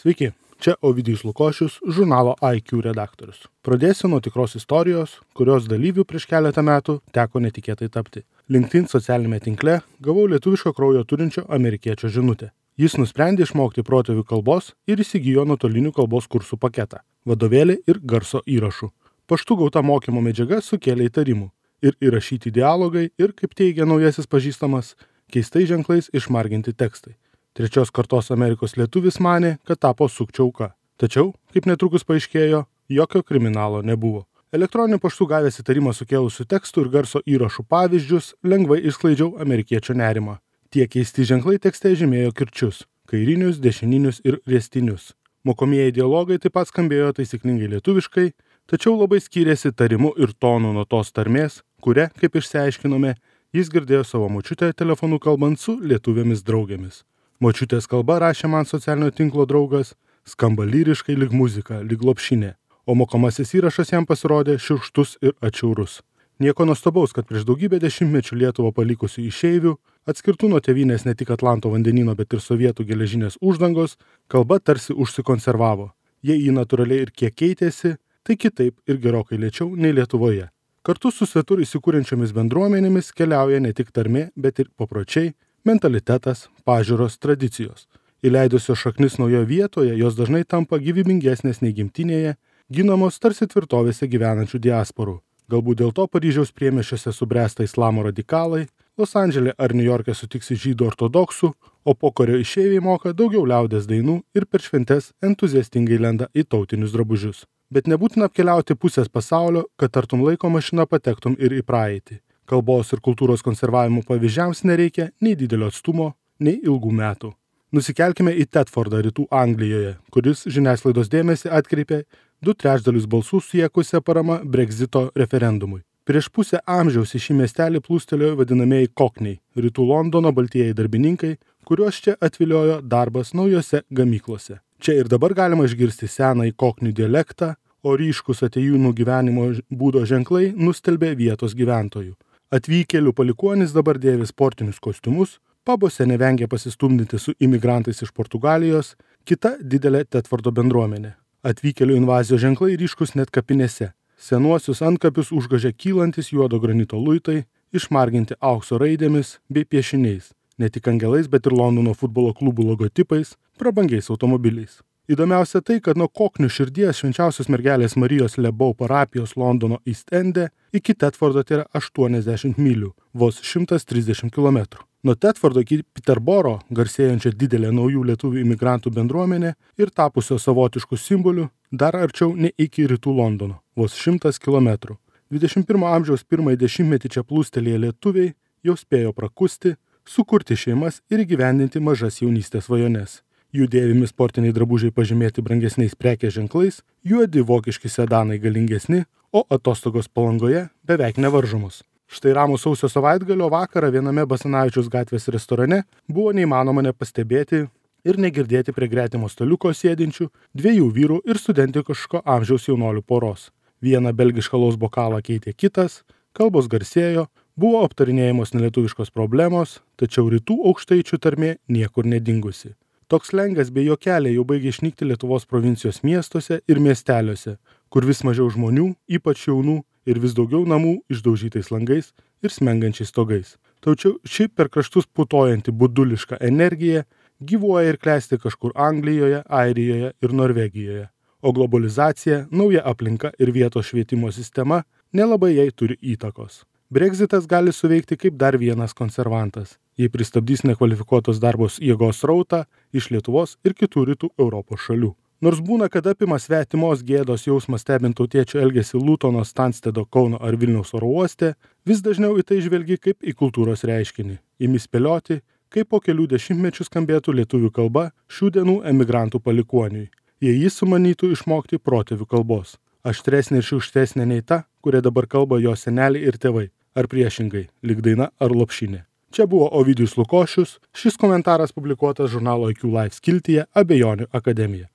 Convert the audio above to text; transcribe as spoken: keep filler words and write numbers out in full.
Sveiki, čia Ovidijus Lukošius, žurnalo I Q redaktorius. Pradėsiu nuo tikros istorijos, kurios dalyvių prieš keletą metų teko netikėtai tapti. LinkedIn socialinėme tinkle gavau lietuviško kraujo turinčio amerikiečio žinutę. Jis nusprendė išmokti protėvių kalbos ir įsigijo nuotolinių kalbos kursų paketą, vadovėlį ir garso įrašų. Paštu gauta mokymo medžiaga sukėlė įtarimų. Ir įrašyti dialogai ir, kaip teigia naujasis pažįstamas, keistai ženklais išmarginti tekstai. Trečios kartos Amerikos lietuvis manė, kad tapo sukčių auka. Tačiau, kaip netrukus paaiškėjo, jokio kriminalo nebuvo. Elektroniniu paštu gavęs įtarimą sukėlusių tekstų ir garso įrašų pavyzdžius, lengvai išsklaidžiau amerikiečio nerimą. Tie keisti ženklai tekste žymėjo kirčius – kairinius, dešininius ir riestinius. Mokomieji dialogai taip pat skambėjo taisyklingai lietuviškai, tačiau labai skyrėsi tarimu ir tonu nuo tos tarmės, kuria, kaip išsiaiškinome, jis girdėjo savo močiutę telefonu kalbant su lietuvėmis draugėmis. Močiutės kalba, rašė man socialinio tinklo draugas, skamba lyriškai lyg muzika, lyg lopšinė, o mokomasis įrašas jam pasirodė šiurkštus ir atšiaurus. Nieko nuostabaus, kad prieš daugybę dešimtmečių Lietuvą palikusių išeivių, atskirtų nuo tėvynės ne tik Atlanto vandenyno, bet ir sovietų geležinės uždangos, kalba tarsi užsikonservavo. Jei ji natūraliai ir kiek keitėsi, tai kitaip ir gerokai lėčiau nei Lietuvoje. Kartu su svetur įsikūrenčiomis bendruomenėmis keliauja ne tik tarmė, bet ir papročiai, mentalitetas, pažiūros, tradicijos. Įleidusios šaknis naujoje vietoje, jos dažnai tampa gyvybingesnės nei gimtinėje, ginamos tarsi tvirtovėse gyvenančių diasporų. Galbūt dėl to Paryžiaus priemiesčiuose subręsta islamo radikalai, Los Andžele ar Niujorke sutiksi žydų ortodoksų, o pokario išeiviai moka daugiau liaudies dainų ir per šventes entuziastingai lenda į tautinius drabužius. Bet nebūtina apkeliauti pusės pasaulio, kad tartum laiko mašina patektum ir į praeitį. Kalbos ir kultūros konservavimo pavyzdžiams nereikia nei didelio atstumo, nei ilgų metų. Nusikelkime į Thetfordą rytų Anglijoje, kuris žiniasklaidos dėmesį atkreipė du trečdalius balsų siekusią parama Brexito referendumui. Prieš pusę amžiaus į šį miestelį plūstelėjo vadinamieji kokniai, rytų Londono baltieji darbininkai, kuriuos čia atviliojo darbas naujose gamyklose. Čia ir dabar galima išgirsti senąjį koknių dialektą, o ryškus atėjūnų gyvenimo būdo ženklai nustelbė vietos gyventojų. Atvykėlių palikuonis dabar dėvi sportinius kostiumus, pabose nevengia pasistumdyti su imigrantais iš Portugalijos, kita didelė Thetfordo bendruomenė. Atvykėlių invazijos ženklai ryškus net kapinėse. Senuosius antkapius užgožia kylantis juodo granito luitai, išmarginti aukso raidėmis bei piešiniais, ne tik angelais, bet ir Londono futbolo klubų logotipais, prabangiais automobiliais. Įdomiausia tai, kad nuo koknių širdies švenčiausios mergelės Marijos Lebau parapijos Londono East Ende iki Thetfordo tai yra aštuoniasdešimt mylių, vos šimtas trisdešimt kilometrų. Nuo Thetfordo iki Piterboro, garsėjančia didelė naujų lietuvių imigrantų bendruomenė ir tapusio savotiškų simbolių, dar arčiau nei iki rytų Londono, vos šimtas kilometrų. dvidešimt pirmo amžiaus pirmąjį dešimtmetį čia plūstelėję lietuviai jau spėjo prakusti, sukurti šeimas ir įgyvendinti mažas jaunystės svajones. Jų dėvimi sportiniai drabužiai pažymėti brangesniais prekės ženklais, juodi vokiški sedanai galingesni, o atostogos Palangoje beveik nevaržomos. Štai ramų sausio savaitgalio vakarą viename Basanavičiaus gatvės restorane buvo neįmanoma nepastebėti ir negirdėti prie gretimo staliuko sėdinčių dviejų vyrų ir studentiško amžiaus jaunolių poros. Vieną belgišką alaus bokalą keitė kitas, kalbos garsėjo, buvo aptarinėjamos nelietuviškos problemos, tačiau rytų aukštaičių tarmė niekur nedingusi. Toks slengas bei juokeliai jau baigė išnykti Lietuvos provincijos miestuose ir miesteliuose, kur vis mažiau žmonių, ypač jaunų, ir vis daugiau namų išdaužytais langais ir smengančiais stogais. Tačiau ši per kraštus putojanti buduliška energija gyvuoja ir klesti kažkur Anglijoje, Airijoje ir Norvegijoje. O globalizacija, nauja aplinka ir vietos švietimo sistema nelabai jai turi įtakos. Brexitas gali suveikti kaip dar vienas konservantas, jei pristabdys nekvalifikuotos darbos jėgos srautą iš Lietuvos ir kitų rytų Europos šalių. Nors būna, kad apima svetimos gėdos jausmas stebint tautiečių elgesį Lutono, Stanstedo, Kauno ar Vilniaus oro uoste, vis dažniau į tai žvelgi kaip į kultūros reiškinį. Imi spėlioti, kaip po kelių dešimtmečių skambėtų lietuvių kalba šių dienų emigrantų palikuoniui, jei jis sumanytų išmokti protėvių kalbos. Aštresnė ir šiurkštesnė nei ta, kuria dabar kalba jo seneliai ir tėvai, ar priešingai, lyg daina ar lopšinė. Čia buvo Ovidijus Lukošius, šis komentaras publikuotas žurnalo I Q Live skiltyje Abejonių akademija.